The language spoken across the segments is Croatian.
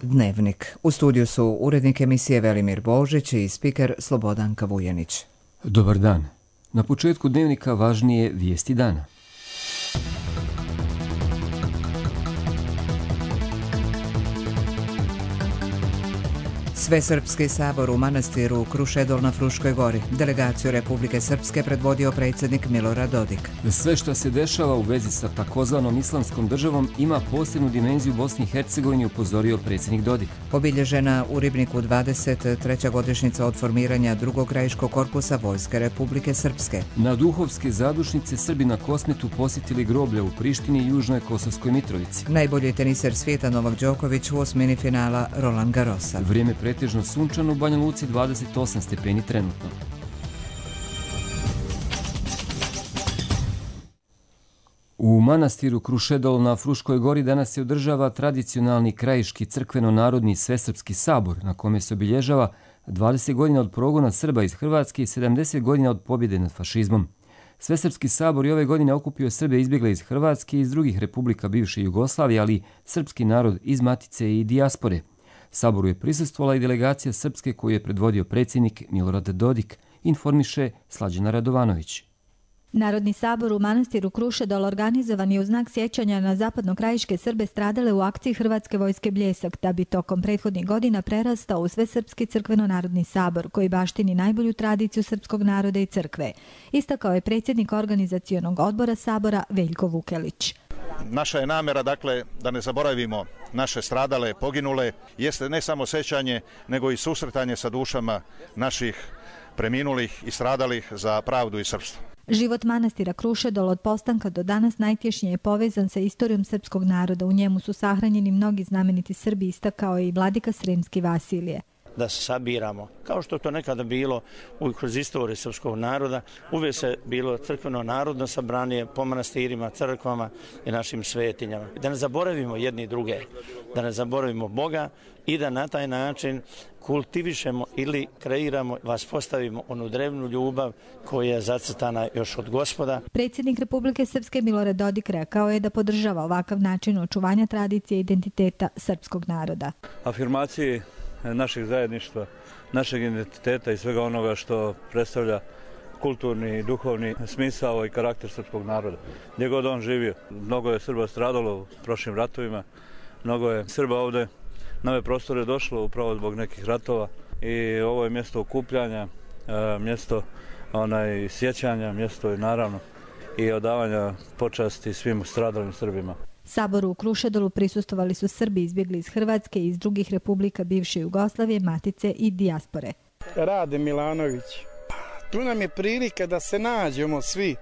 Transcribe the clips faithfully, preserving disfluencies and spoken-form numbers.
Dnevnik. U studiju su urednik emisije Velimir Božić i spiker Slobodanka Vujenić. Dobar dan. Na početku Dnevnika važnije vijesti dana. Svesrpski sabor u manastiru Krušedol na Fruškoj gori. Delegaciju Republike Srpske predvodio predsjednik Milorad Dodik. Sve što se dešava u vezi sa takozvanom islamskom državom ima posebnu dimenziju u Bosni i Hercegovini, upozorio predsjednik Dodik. Obilježena u Ribniku dvadeset treća godišnjica od formiranja drugog krajiškog korpusa Vojske Republike Srpske. Na duhovske zadušnice Srbi na Kosmetu posjetili groblje u Prištini i Južnoj Kosovskoj Mitrovici. Najbolji teniser svijeta Novak Đoković u osmini finala Roland Garrosa. Vrijeme pretežno sunčano, u Banja Luci dvadeset osam stepeni trenutno. U manastiru Krušedol na Fruškoj gori danas se održava tradicionalni krajiški crkveno-narodni svesrpski sabor, na kome se obilježava dvadeset godina od progona Srba iz Hrvatske i sedamdeset godina od pobjede nad fašizmom. Svesrpski sabor i ove godine okupio Srbe izbjegle iz Hrvatske i iz drugih republika bivše Jugoslavije, ali i srpski narod iz Matice i dijaspore. Saboru je prisustvovala i delegacija Srpske koju je predvodio predsjednik Milorad Dodik, informiše Slađana Radovanović. Narodni sabor u manastiru Krušedol organizovan je u znak sjećanja na zapadnokrajiške Srbe stradale u akciji Hrvatske vojske Bljesak, da bi tokom prethodnih godina prerastao u Svesrpski crkveno-narodni sabor, koji baštini najbolju tradiciju srpskog naroda i crkve. Istakao je predsjednik organizacionog odbora sabora Veljko Vukelić. Naša je namjera, dakle, da ne zaboravimo naše stradale, poginule, jeste ne samo sjećanje, nego i susretanje sa dušama naših preminulih i stradalih za pravdu i srpstvo. Život manastira Krušedol od postanka do danas najtješnije je povezan sa istorijom srpskog naroda. U njemu su sahranjeni mnogi znameniti Srbi, istakao je i vladika Sremski Vasilije. Da se sabiramo. Kao što to nekada bilo u kroz istoriju srpskog naroda, uvijek se bilo crkveno narodno sabranje po manastirima, crkvama i našim svetinjama. Da ne zaboravimo jedni druge, da ne zaboravimo Boga i da na taj način kultivišemo ili kreiramo, vas postavimo onu drevnu ljubav koja je zacrtana još od Gospoda. Predsjednik Republike Srpske Milorad Dodik rekao je da podržava ovakav način očuvanja tradicije i identiteta srpskog naroda. Afirmaciji našeg zajedništva, našeg identiteta i svega onoga što predstavlja kulturni i duhovni smisao i karakter srpskog naroda. Gdje god on živio. Mnogo je Srba stradalo u prošlim ratovima, mnogo je Srba ovdje na ove prostore došlo upravo zbog nekih ratova i ovo je mjesto okupljanja, mjesto onaj, sjećanja, mjesto i naravno i odavanja počasti svim stradalim Srbima. Saboru u Krušedolu prisustvovali su Srbi izbjegli iz Hrvatske i iz drugih republika bivše Jugoslavije, Matice i dijaspore. Rade Milanović. Tu nam je prilika da se nađemo svi,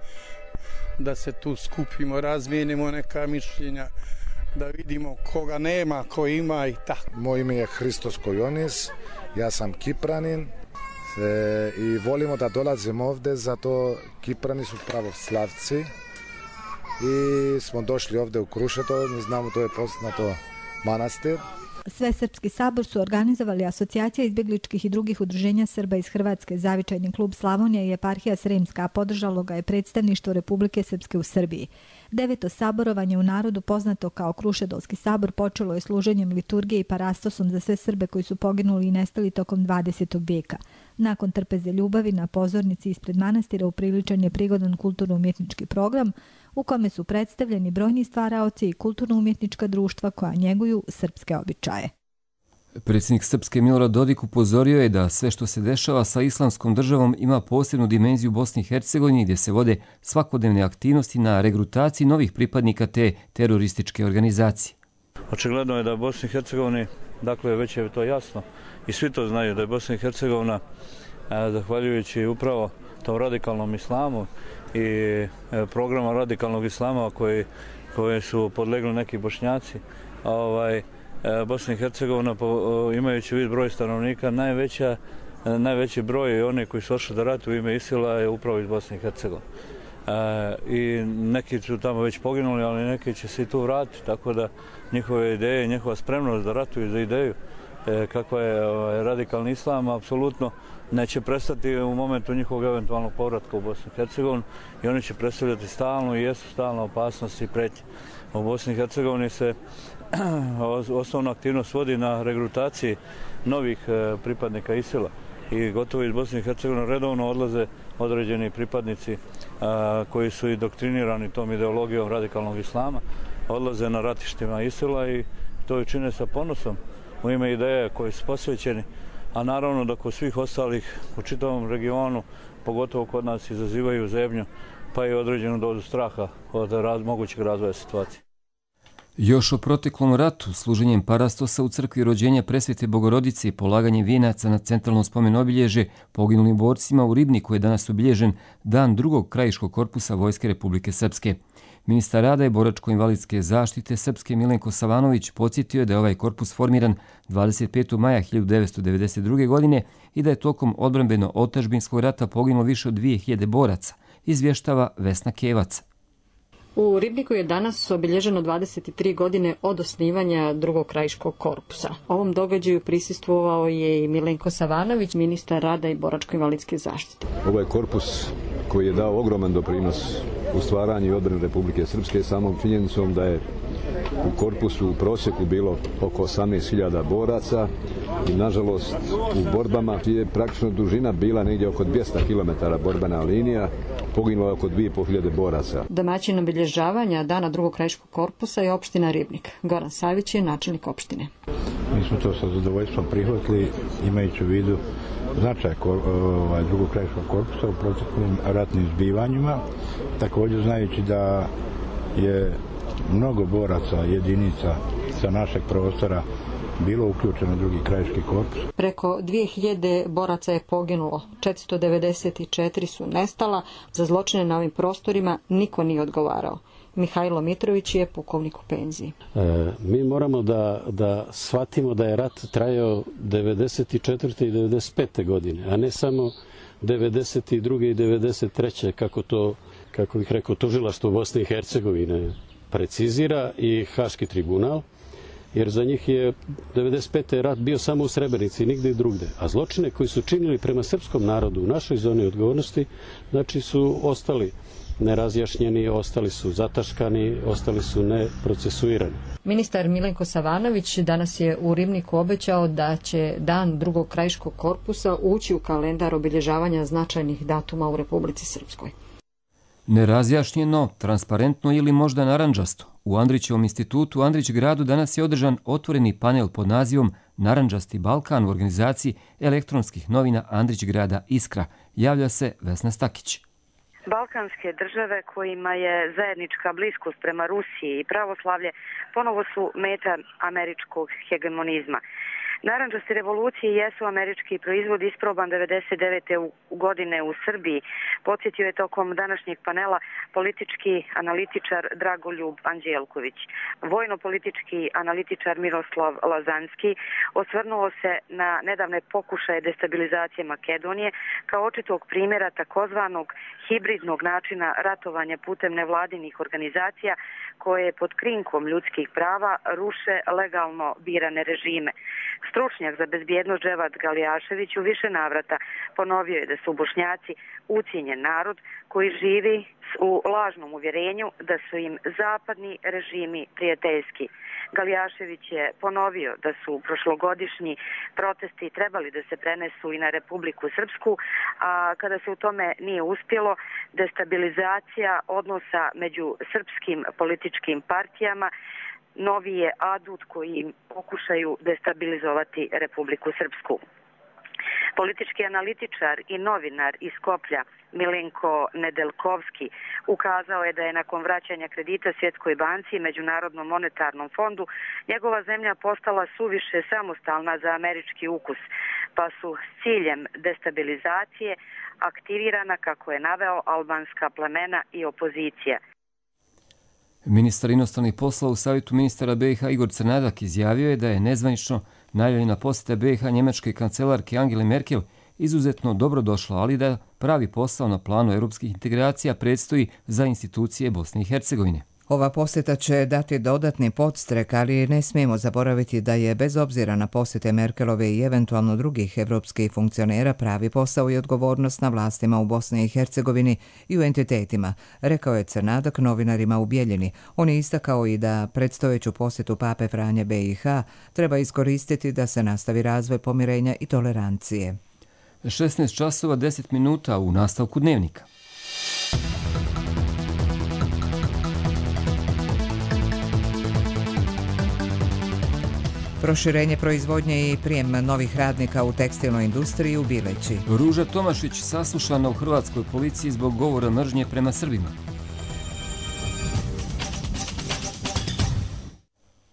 da se tu skupimo, razmijenimo neka mišljenja, da vidimo koga nema, ko ima i tako. Moje ime je Hristos Kojonis, ja sam Kipranin e, i volimo da dolazimo ovdje, zato Kiprani su pravoslavci. I smo došli ovdje u Krušedol, mi znamo to je poznato manastir. Svesrpski sabor su organizovali Asocijacija izbjegličkih i drugih udruženja Srba iz Hrvatske, Zavičajni klub Slavonija i Eparhija Sremska, a podržalo ga je predstavništvo Republike Srpske u Srbiji. Deveto saborovanje u narodu, poznato kao Krušedolski sabor, počelo je služenjem liturgije i parastosom za sve Srbe koji su poginuli i nestali tokom dvadesetog vijeka. Nakon trpeze ljubavi na pozornici ispred manastira upriličen je prigodan kulturno-umjetnički program u kome su predstavljeni brojni stvaraoci i kulturno-umjetnička društva koja njeguju srpske običaje. Predsjednik Srpske Milorad Dodik upozorio je da sve što se dešava sa islamskom državom ima posebnu dimenziju u Bosni i Hercegovini, gdje se vode svakodnevne aktivnosti na regrutaciji novih pripadnika te terorističke organizacije. Očigledno je da Bosni i Hercegovini, dakle već je to jasno i svi to znaju, da je Bosna i Hercegovina, zahvaljujući upravo tom radikalnom islamu i programa radikalnog islama koji, koje su podlegli neki Bošnjaci, ovaj, Bosna i Hercegovina, imajući vid broj stanovnika, najveća, najveći broj oni koji su došli da ratu u ime Isila je upravo iz Bosne i Hercegovine. E, I neki su tamo već poginuli, ali neki će se i tu vratiti, tako da njihove ideje, njihova spremnost da ratuju za ideju, e, kakva je ovaj, radikalni islam, apsolutno neće prestati u momentu njihovog eventualnog povratka u Bosnu i Hercegovinu i oni će predstavljati stalnu i jesu stalna opasnost i pretnje. U Bosni i Hercegovini se osnovna aktivnost vodi na regrutaciji novih pripadnika ISIL-a i gotovo iz Bosne i Hercegovine redovno odlaze određeni pripadnici koji su i doktrinirani tom ideologijom radikalnog islama, odlaze na ratištima ISIL-a i to i čine sa ponosom u ime ideje koji su posvećeni, a naravno da kod svih ostalih u čitavom regionu, pogotovo kod nas, izazivaju zebnju pa i određenu dozu straha od raz, mogućeg razvoja situacije. Još o proteklom ratu, služenjem parastosa u crkvi rođenja Presvete Bogorodice i polaganjem vijenaca na centralnom spomen obilježje poginulim borcima u Ribniku je danas obilježen dan drugog krajiškog korpusa Vojske Republike Srpske. Ministar rada i boračko-invalidske zaštite Srpske Milenko Savanović podsjetio je da je ovaj korpus formiran dvadeset petog maja hiljadu devetsto devedeset druge. godine i da je tokom odbrambeno-otadžbinskog rata poginulo više od dvije hiljade boraca, izvještava Vesna Kevac. U Ribniku je danas obilježeno dvadeset tri godine od osnivanja drugog krajiškog korpusa. Ovom događaju prisustvovao je i Milenko Savanović, ministar rada i boračko-invalidske zaštite. Ovo je korpus koji je dao ogroman doprinos u stvaranju i odbrani Republike Srpske samom činjenicom da je u korpusu u prosjeku bilo oko osamnaest hiljada boraca i nažalost u borbama je praktično dužina bila negdje oko dvjesto kilometara borbena linija, poginulo je oko dvije i pol hiljade boraca. Domaćin obilježavanja dana drugog krajiškog korpusa je opština Ribnik. Goran Savić je načelnik opštine. Mi smo to sa zadovoljstvom prihvatili imajući u vidu značaj ovaj, drugog krajiškog korpusa u proteklim ratnim zbivanjima, također znajući da je mnogo boraca, jedinica sa našeg prostora bilo uključeno u drugi krajiški korpus. Preko dvije hiljade boraca je poginulo, četiristo devedeset četiri su nestala, za zločine na ovim prostorima niko nije odgovarao. Mihajlo Mitrović je pukovnik u penziji. E, mi moramo da, da shvatimo da je rat trajao devedeset četvrte i devedeset pete godine, a ne samo devedeset druge i devedeset treće kako to, kako bih rekao, tužilaštvo Bosne i Hercegovine precizira i Haški tribunal, jer za njih je devedeset pete rat bio samo u Srebrenici i nigde i drugde. A zločine koji su činili prema srpskom narodu u našoj zoni odgovornosti, znači su ostali nerazjašnjeni, ostali su zataškani, ostali su neprocesuirani. Ministar Milenko Savanović danas je u Ribniku obećao da će dan drugog krajiškog korpusa ući u kalendar obilježavanja značajnih datuma u Republici Srpskoj. Nerazjašnjeno, transparentno ili možda narandžasto. U Andrićevom institutu u Andrić gradu danas je održan otvoreni panel pod nazivom Narandžasti Balkan u organizaciji elektronskih novina Andrić grada Iskra. Javlja se Vesna Stakić. Balkanske države kojima je zajednička bliskost prema Rusiji i pravoslavlje ponovo su meta američkog hegemonizma. Narandžaste revolucije jesu američki proizvod isproban devedeset devete godine u Srbiji. Podsjetio je tokom današnjeg panela politički analitičar Dragoljub Anđelković. Vojno-politički analitičar Miroslav Lazanski osvrnuo se na nedavne pokušaje destabilizacije Makedonije kao očitog primjera takozvanog hibridnog načina ratovanja putem nevladinih organizacija koje pod krinkom ljudskih prava ruše legalno birane režime. Stručnjak za bezbjednost Dževad Galijašević u više navrata ponovio je da su Bošnjaci ucijenjen narod koji živi u lažnom uvjerenju da su im zapadni režimi prijateljski. Galijašević je ponovio da su prošlogodišnji protesti trebali da se prenesu i na Republiku Srpsku, a kada se u tome nije uspjelo, destabilizacija odnosa među srpskim političkim partijama novi je adut koji im pokušaju destabilizovati Republiku Srpsku. Politički analitičar i novinar iz Skoplja Milenko Nedeljkovski ukazao je da je nakon vraćanja kredita Svjetskoj banci i Međunarodnom monetarnom fondu njegova zemlja postala suviše samostalna za američki ukus, pa su s ciljem destabilizacije aktivirana, kako je naveo, albanska plemena i opozicija. Ministar inostranih poslova u savjetu ministara B i H Igor Crnadak izjavio je da je nezvanično najavljena posjeta B i H njemačke kancelarke Angele Merkel izuzetno dobro došla, ali da pravi posao na planu europskih integracija predstoji za institucije Bosne i Hercegovine. Ova posjeta će dati dodatni podstrek, ali ne smijemo zaboraviti da je bez obzira na posjete Merkelove i eventualno drugih evropskih funkcionera pravi posao i odgovornost na vlastima u Bosni i Hercegovini i u entitetima, rekao je Crnadak novinarima u Bijeljini. On je istakao i da predstojeću posjetu Pape Franje B i H treba iskoristiti da se nastavi razvoj pomirenja i tolerancije. šesnaest časova deset minuta u nastavku dnevnika. Proširenje proizvodnje i prijem novih radnika u tekstilnoj industriji u Bileći. Ruža Tomašić saslušana u hrvatskoj policiji zbog govora mržnje prema Srbima.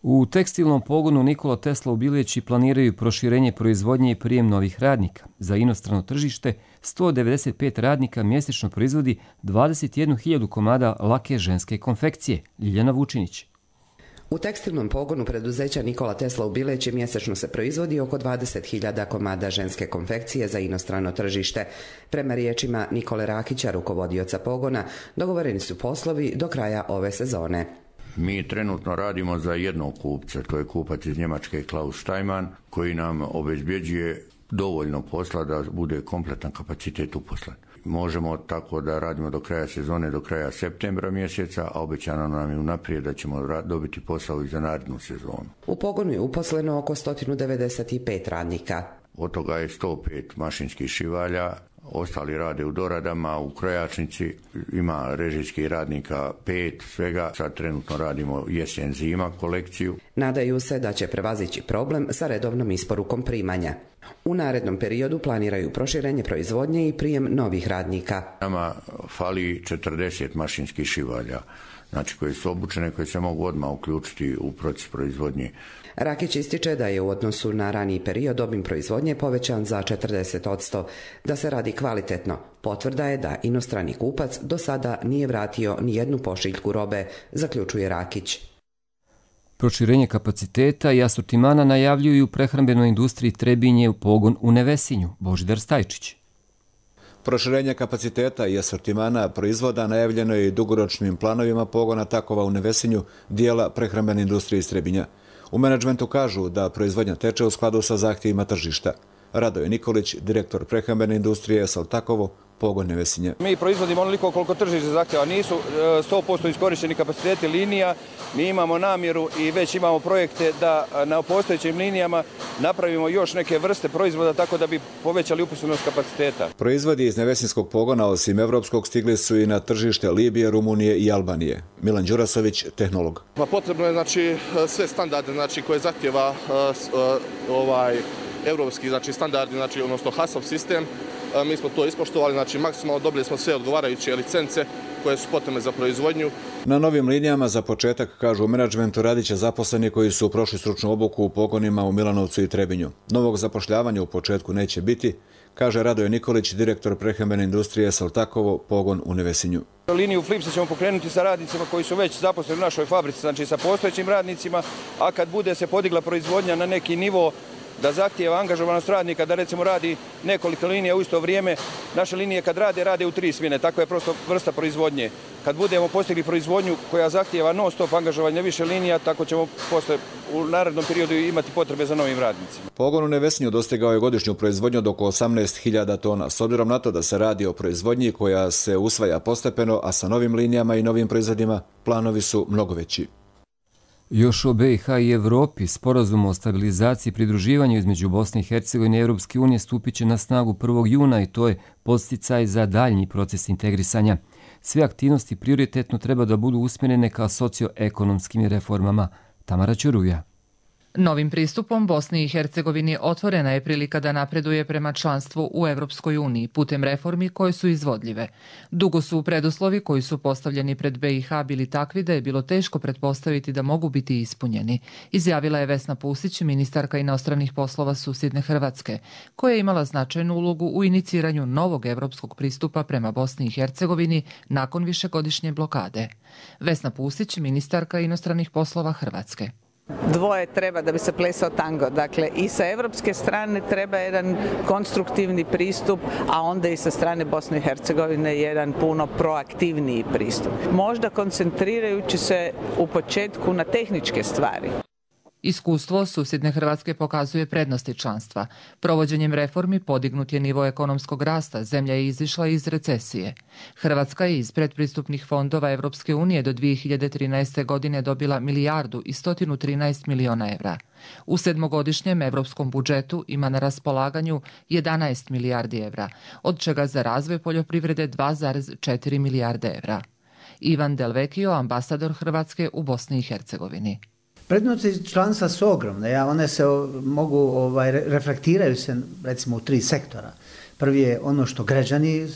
U tekstilnom pogonu Nikola Tesla u Bileći planiraju proširenje proizvodnje i prijem novih radnika. Za inostrano tržište sto devedeset pet radnika mjesečno proizvodi dvadeset jednu hiljadu komada lake ženske konfekcije. Ljiljana Vučinić. U tekstilnom pogonu preduzeća Nikola Tesla u Bileći mjesečno se proizvodi oko dvadeset hiljada komada ženske konfekcije za inostrano tržište. Prema riječima Nikole Rakića, rukovodioca pogona, dogovoreni su poslovi do kraja ove sezone. Mi trenutno radimo za jednog kupca, to je kupac iz Njemačke Klaus Steinmann, koji nam obezbjeđuje dovoljno posla da bude kompletan kapacitet uposlen. Možemo tako da radimo do kraja sezone, do kraja septembra mjeseca, a obećano nam je unaprijed da ćemo dobiti posao i za narednu sezonu. U pogonu je uposleno oko sto devedeset pet radnika. Od toga je sto pet mašinskih šivalja, ostali rade u doradama, u krojačnici, ima režijskih radnika pet, svega. Sad trenutno radimo jesen-zima kolekciju. Nadaju se da će prevazići problem sa redovnom isporukom primanja. U narednom periodu planiraju proširenje proizvodnje i prijem novih radnika. Nama fali četrdeset mašinskih šivalja, znači koje su obučene, koje se mogu odmah uključiti u proces proizvodnje. Rakić ističe da je u odnosu na raniji period obim proizvodnje povećan za četrdeset posto. Da se radi kvalitetno, potvrda je da inostrani kupac do sada nije vratio ni jednu pošiljku robe, zaključuje Rakić. Proširenje kapaciteta i asortimana najavljuju u prehrambenoj industriji Trebinje u pogon u Nevesinju. Božidar Stajčić. Proširenje kapaciteta i asortimana proizvoda najavljeno je i dugoročnim planovima pogona takova u Nevesinju, dijela prehrambene industrije iz Trebinja. U menadžmentu kažu da proizvodnja teče u skladu sa zahtjevima tržišta. Radoje Nikolić, direktor prehrambene industrije Saltakovo, pogon Nevesinje. Mi proizvodimo onoliko koliko tržište zahtjeva, nisu sto posto iskorišteni kapaciteti linija, mi imamo namjeru i već imamo projekte da na postojećim linijama napravimo još neke vrste proizvoda tako da bi povećali uposlenost kapaciteta. Proizvodi iz Nevesinskog pogona osim evropskog stigli su i na tržište Libije, Rumunije i Albanije. Milan Đurasović, tehnolog. Pa potrebno je znači sve standarde znači koje zahtjeva uh, ovaj evropski znači standardi, znači odnosno HACCP sistem. Mi smo to ispoštovali, znači maksimalno dobili smo sve odgovarajuće licence koje su potrebne za proizvodnju. Na novim linijama za početak, kažu u menadžmentu, radit će zaposleni koji su prošli stručnu obuku u pogonima u Milanovcu i Trebinju. Novog zapošljavanja u početku neće biti, kaže Radoje Nikolić, direktor prehrambene industrije Saltakovo, pogon u Nevesinju. Liniju Flipsa ćemo pokrenuti sa radnicima koji su već zaposleni u našoj fabrici, znači sa postojećim radnicima, a kad bude se podigla proizvodnja na neki nivo da zahtijeva angažovanost radnika, da recimo radi nekoliko linija u isto vrijeme. Naše linije kad rade, rade u tri smjene, tako je prosto vrsta proizvodnje. Kad budemo postigli proizvodnju koja zahtijeva non stop angažovanje više linija, tako ćemo posle u narednom periodu imati potrebe za novim radnicima. Pogon u Nevesinju dostigao je godišnju proizvodnju od oko osamnaest hiljada tona. S obzirom na to da se radi o proizvodnji koja se usvaja postepeno, a sa novim linijama i novim proizvodima planovi su mnogo veći. Još o B i H i Evropi, sporazum o stabilizaciji i pridruživanju između Bosne i Hercegovine i Europske unije stupit će na snagu prvog juna i to je podsticaj za daljnji proces integrisanja. Sve aktivnosti prioritetno treba da budu usmjerene ka socioekonomskim reformama. Tamara Ćuruja. Novim pristupom Bosni i Hercegovini otvorena je prilika da napreduje prema članstvu u Europskoj uniji putem reformi koje su izvodljive. Dugo su preduslovi koji su postavljeni pred B i H bili takvi da je bilo teško pretpostaviti da mogu biti ispunjeni, izjavila je Vesna Pusić, ministarka inostranih poslova susjedne Hrvatske, koja je imala značajnu ulogu u iniciranju novog evropskog pristupa prema Bosni i Hercegovini nakon višegodišnje blokade. Vesna Pusić, ministarka inostranih poslova Hrvatske. Dvoje treba da bi se plesao tango. Dakle, i sa evropske strane treba jedan konstruktivni pristup, a onda i sa strane Bosne i Hercegovine jedan puno proaktivniji pristup. Možda koncentrirajući se u početku na tehničke stvari. Iskustvo susjedne Hrvatske pokazuje prednosti članstva. Provođenjem reformi podignut je nivo ekonomskog rasta, zemlja je izišla iz recesije. Hrvatska je iz predpristupnih fondova Evropske unije do dvije hiljade trinaeste. godine dobila milijardu i sto trinaest miliona evra. U sedmogodišnjem evropskom budžetu ima na raspolaganju jedanaest milijardi evra, od čega za razvoj poljoprivrede dva zarez četiri milijarde evra. Ivan Delvekio, ambasador Hrvatske u Bosni i Hercegovini. Prednosti članstva su ogromne, ja, one se mogu, ovaj, reflektiraju se recimo u tri sektora. Prvi je ono što građani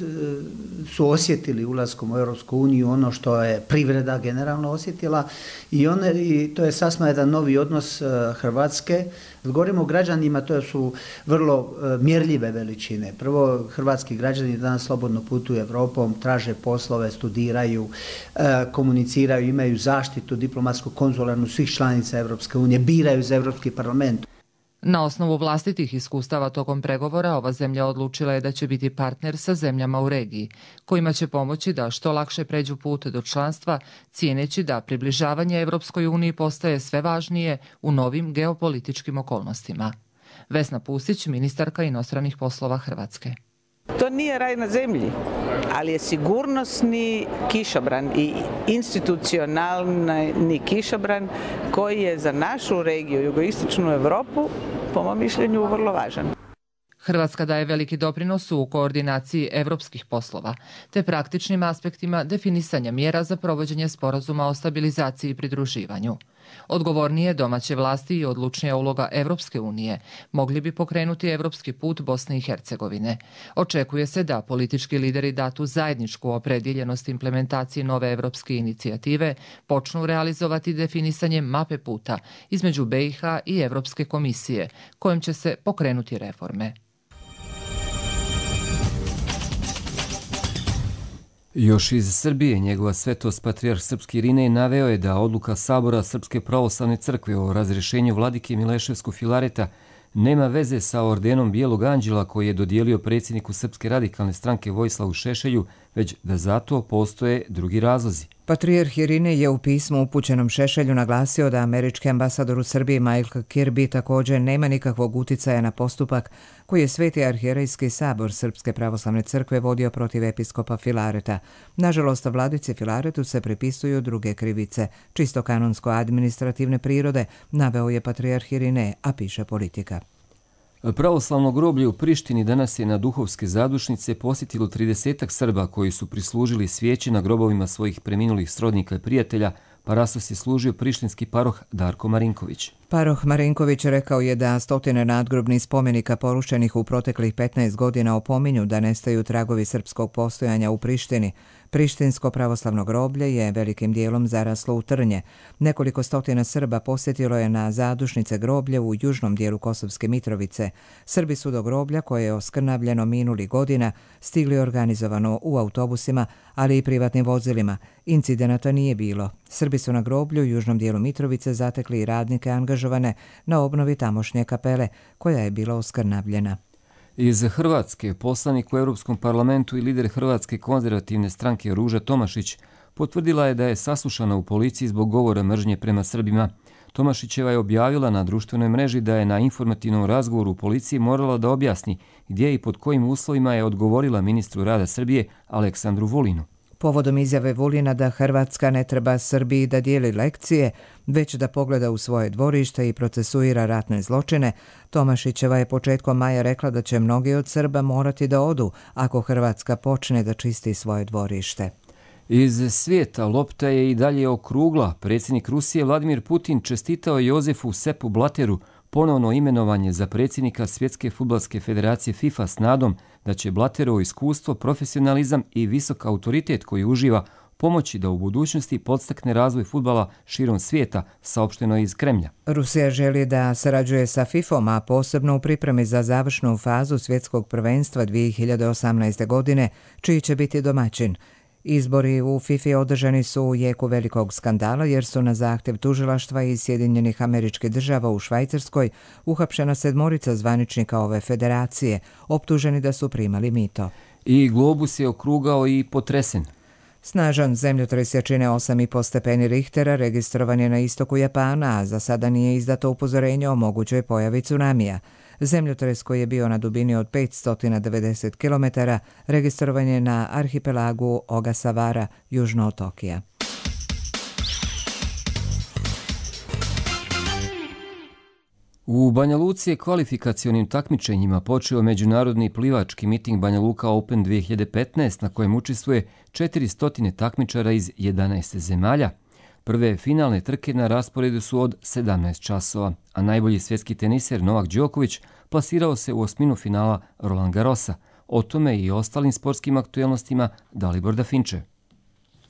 su osjetili ulaskom u Europsku uniju, ono što je privreda generalno osjetila i, one, i to je sasma jedan novi odnos Hrvatske. Govorimo o građanima, to su vrlo mjerljive veličine. Prvo, hrvatski građani danas slobodno putuju Europom, traže poslove, studiraju, komuniciraju, imaju zaštitu diplomatsku, konzularnu svih članica Europske unije, biraju za Europski parlament. Na osnovu vlastitih iskustava tokom pregovora ova zemlja odlučila je da će biti partner sa zemljama u regiji, kojima će pomoći da što lakše pređu put do članstva, cijeneći da približavanje Evropskoj uniji postaje sve važnije u novim geopolitičkim okolnostima. Vesna Pustić, ministarka inostranih poslova Hrvatske. To nije raj na zemlji, ali je sigurnosni kišobran i institucionalni kišobran koji je za našu regiju, jugoistočnu Europu, po mom mišljenju, vrlo važan. Hrvatska daje veliki doprinos u koordinaciji evropskih poslova, te praktičnim aspektima definisanja mjera za provođenje sporazuma o stabilizaciji i pridruživanju. Odgovornije domaće vlasti i odlučnija uloga Evropske unije mogli bi pokrenuti evropski put Bosne i Hercegovine. Očekuje se da politički lideri datu zajedničku opredjeljenost implementaciji nove evropske inicijative počnu realizovati definisanje mape puta između B i H i Evropske komisije, kojom će se pokrenuti reforme. Još iz Srbije njegova svetost patrijarh srpski Irinej naveo je da odluka Sabora Srpske pravoslavne crkve o razrješenju vladike Mileševskog Filareta nema veze sa ordenom Bijelog anđela koji je dodijelio predsjedniku Srpske radikalne stranke Vojislavu Šešelju, već da zato postoje drugi razlozi. Patrijarh Irinej je u pismu upućenom Šešelju naglasio da američki ambasador u Srbiji Michael Kirby također nema nikakvog uticaja na postupak koji je Sveti arhijerejski sabor Srpske pravoslavne crkve vodio protiv episkopa Filareta. Nažalost, vladici Filaretu se pripisuju druge krivice, čisto kanonsko-administrativne prirode, naveo je patrijarh Irinej, a piše Politika. Pravoslavno groblje u Prištini danas je na duhovske zadušnice posjetilo tridesetak Srba koji su prislužili svijeće na grobovima svojih preminulih srodnika i prijatelja, pa rasos je služio prištinski paroh Darko Marinković. Paroh Marinković rekao je da stotine nadgrobnih spomenika porušenih u proteklih petnaest godina opominju da nestaju tragovi srpskog postojanja u Prištini. Prištinsko pravoslavno groblje je velikim dijelom zaraslo u trnje. Nekoliko stotina Srba posjetilo je na zadušnice groblje u južnom dijelu Kosovske Mitrovice. Srbi su do groblja, koje je oskrnavljeno minuli godina, stigli organizovano u autobusima, ali i privatnim vozilima. Incidenata nije bilo. Srbi su na groblju u južnom dijelu Mitrovice zatekli i radnike angažovane na obnovi tamošnje kapele, koja je bila oskrnavljena. Iz Hrvatske poslanik u Europskom parlamentu i lider Hrvatske konzervativne stranke Ruža Tomašić potvrdila je da je saslušana u policiji zbog govora mržnje prema Srbima. Tomašićeva je objavila na društvenoj mreži da je na informativnom razgovoru u policiji morala da objasni gdje i pod kojim uslovima je odgovorila ministru rada Srbije Aleksandru Vulinu. Povodom izjave Vulina da Hrvatska ne treba Srbiji da dijeli lekcije, već da pogleda u svoje dvorište i procesuira ratne zločine, Tomašićeva je početkom maja rekla da će mnogi od Srba morati da odu ako Hrvatska počne da čisti svoje dvorište. Iz svijeta lopta je i dalje okrugla. Predsjednik Rusije Vladimir Putin čestitao Jozefu Seppu Blatteru ponovno imenovanje za predsjednika Svjetske fudbalske federacije FIFA s nadom da će Blatterovo iskustvo, profesionalizam i visok autoritet koji uživa pomoći da u budućnosti podstakne razvoj fudbala širom svijeta, saopšteno iz Kremlja. Rusija želi da sarađuje sa fifom, a posebno u pripremi za završnu fazu svjetskog prvenstva dvije hiljade osamnaeste. godine, čiji će biti domaćin. Izbori u FIFA održani su u jeku velikog skandala jer su na zahtev tužilaštva iz Sjedinjenih Američkih Država u Švajcarskoj uhapšena sedmorica zvaničnika ove federacije, optuženi da su primali mito. I globus je okrugao i potresen. Snažan zemljotres jačine osam i po stepeni Richtera registrovan je na istoku Japana, a za sada nije izdato upozorenje o mogućoj pojavi tsunamija. Zemljotres koji je bio na dubini od petsto devedeset kilometara registrovan je na arhipelagu Ogasawara, južno od Tokija. U Banja Luci je kvalifikacionim takmičenjima počeo međunarodni plivački miting Banja Luka Open dvije hiljade petnaest na kojem učestvuje četiristo takmičara iz jedanaest zemalja. Prve finalne trke na rasporedu su od sedamnaest časova, a najbolji svjetski teniser Novak Đoković plasirao se u osminu finala Roland Garrosa. O tome i ostalim sportskim aktuelnostima Dalibor Dafinče.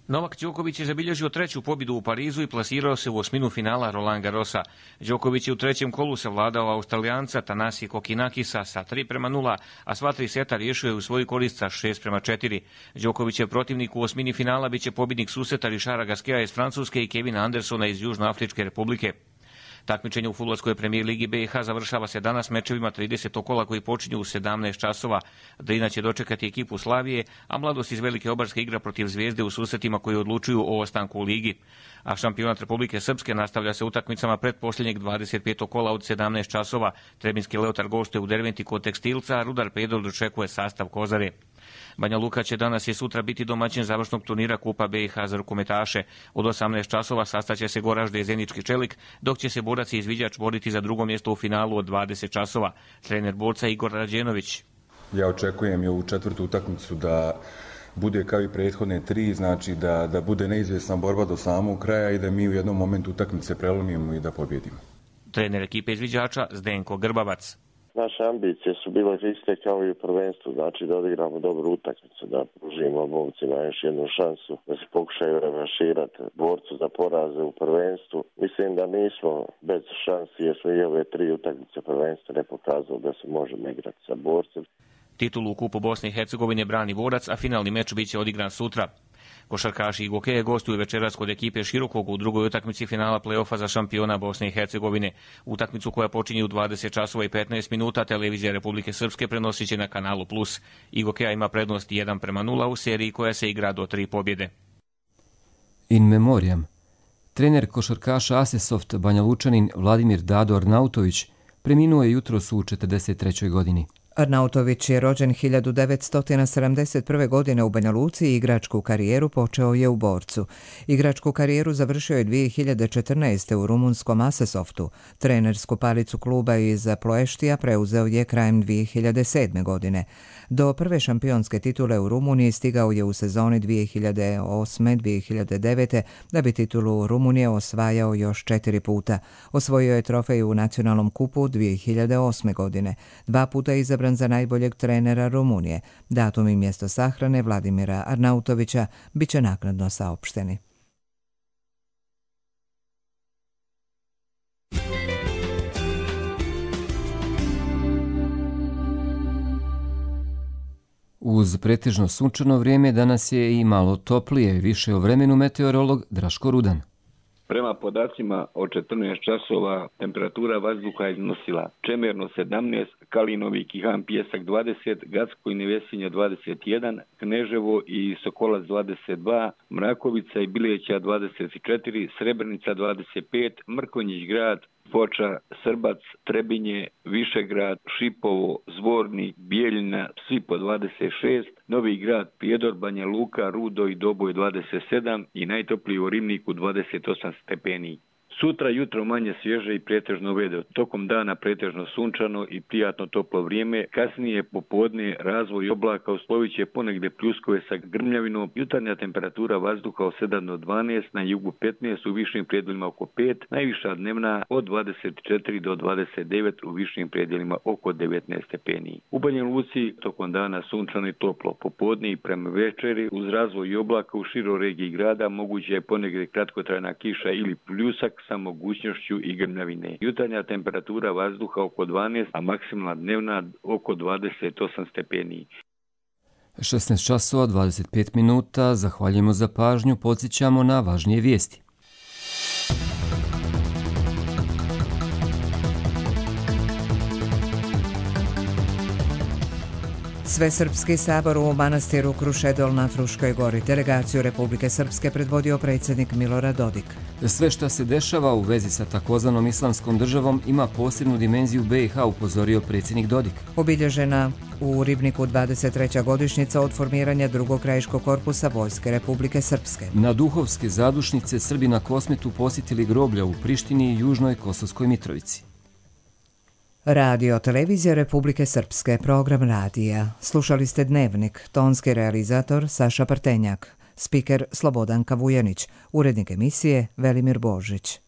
Novak Đoković je zabilježio treću pobjedu u Parizu i plasirao se u osminu finala Roland Garrosa. Đoković je u trećem kolu savladao Australijanca Thanasi Kokinakisa sa tri prema nula, a sva tri seta riješio je u svoju korist sa šest prema četiri. Đoković je protivnik u osmini finala, bit će pobjednik susreta Richarda Gasqueta iz Francuske i Kevina Andersona iz Južnoafričke republike. Takmičenje u fudbalskoj premijer ligi B i H završava se danas mečevima tridesetog kola koji počinju u sedamnaest časova. Drina će dočekati ekipu Slavije, a Mladost iz Velike Obarske igra protiv Zvijezde u susretima koji odlučuju o ostanku u ligi. A šampionat Republike Srpske nastavlja se utakmicama pretposljednjeg dvadeset petog kola od sedamnaest časova. Trebinski Leotar gostuje u Derventi kod Tekstilca, a Rudar Pedro dočekuje sastav Kozare. Banja Luka će danas i sutra biti domaćin završnog turnira Kupa B i H za rukometaše. Od osamnaest časova sastaće se Goražde i Zenički Čelik, dok će se borac i izviđač boriti za drugo mjesto u finalu od dvadeset časova. Trener borca Igor Rađenović. Ja očekujem i ovu četvrtu utakmicu da bude kao i prethodne tri, znači da, da bude neizvjesna borba do samog kraja i da mi u jednom momentu utakmice prelomimo i da pobjedimo. Trener ekipe izviđača Zdenko Grbavac. Naše ambicije su bile iste kao i u prvenstvu, znači da odigramo dobru utakmicu, da pružimo momcima još jednu šansu, da se pokušaju revanširati borcu za poraze u prvenstvu. Mislim da nismo bez šansi jer smo i ove tri utakmice prvenstva ne pokazali da se možemo igrati sa borcem. Titulu u Kupu Bosne i Hercegovine brani borac, a finalni meč bit će odigran sutra. Košarkaši i gokeje gostuju večeras kod ekipe Širokog u drugoj utakmici finala play-offa za šampiona Bosne i Hercegovine. Utakmicu koja počinje u dvadeset časova i petnaest minuta televizija Republike Srpske prenosit će na kanalu Plus. I gokeja ima prednost jedan prema nula u seriji koja se igra do tri pobjede. In memoriam. Trener košarkaša Asesoft Banja Lučanin Vladimir Dado Arnautović preminuo je jutros u četrdeset trećoj godini. Arnautović je rođen hiljadu devetsto sedamdeset prve. godine u Banja Luci i igračku karijeru počeo je u Borcu. Igračku karijeru završio je dvije hiljade četrnaeste. u rumunskom Asesoftu. Trenersku palicu kluba iz Ploeštija preuzeo je krajem dvije hiljade sedme. godine. Do prve šampionske titule u Rumuniji stigao je u sezoni dvije hiljade osme. dvije hiljade devete. da bi titulu Rumunije osvajao još četiri puta. Osvojio je trofej u nacionalnom kupu dvije hiljade osme. godine. Dva puta je izabran za najboljeg trenera Rumunije. Datum i mjesto sahrane Vladimira Arnautovića bit će naknadno saopšteni. Uz pretežno sunčano vrijeme danas je i malo toplije, više o vremenu meteorolog Draško Rudan. Prema podacima od četrnaest časova temperatura vazduha iznosila Čemerno sedamnaest, Kalinovi, Kihan, Pijesak dvadeset, Gacko i Nevesinje dvadeset jedan, Kneževo i Sokolac dvadeset dva, Mrakovica i Bileća dvadeset četiri, Srebrenica dvadeset pet, Mrkonjić grad, Foča, Srbac, Trebinje, Višegrad, Šipovo, Zvornik, Bijeljina, svi po dvadeset šest, Novi grad, Prijedor, Banja Luka, Rudo i Doboj dvadeset sedam i najtopliji u Ribniku dvadeset osam stepeni. Sutra jutro manje svježe i pretežno vedro, tokom dana pretežno sunčano i prijatno toplo vrijeme, kasnije popodne razvoj oblaka uslovit će ponegde pljuskove sa grmljavinom, jutarnja temperatura vazduha od sedam do dvanaest, na jugu petnaest, u višim predjelima oko pet, najviša dnevna od dvadeset četiri do dvadeset devet, u višim predjelima oko devetnaest stepeni. U Banja Luci tokom dana sunčano i toplo, popodne i prema večeri uz razvoj oblaka u široj regiji grada moguće je ponegde kratkotrajna kiša ili pljusak sa mogućnošću i grmljavine. Jutarnja temperatura vazduha oko dvanaest, a maksimalna dnevna oko dvadeset osam stepeni. šesnaest časova dvadeset pet minuta, zahvaljujemo za pažnju, podsjećamo na važnije vijesti. Svesrpski sabor u manastiru Krušedol na Fruškoj gori. Delegaciju Republike Srpske predvodio predsjednik Milorad Dodik. Sve što se dešava u vezi sa takozvanom islamskom državom ima posebnu dimenziju be i ha, upozorio predsjednik Dodik. Obilježena u Ribniku dvadeset treća godišnjica od formiranja drugog krajiškog korpusa Vojske Republike Srpske. Na duhovske zadušnice Srbi na Kosmetu posjetili groblja u Prištini i Južnoj Kosovskoj Mitrovici. Radio Televizija Republike Srpske, program radija. Slušali ste Dnevnik, tonski realizator Saša Partenjak, spiker Slobodanka Vujanić, urednik emisije Velimir Božić.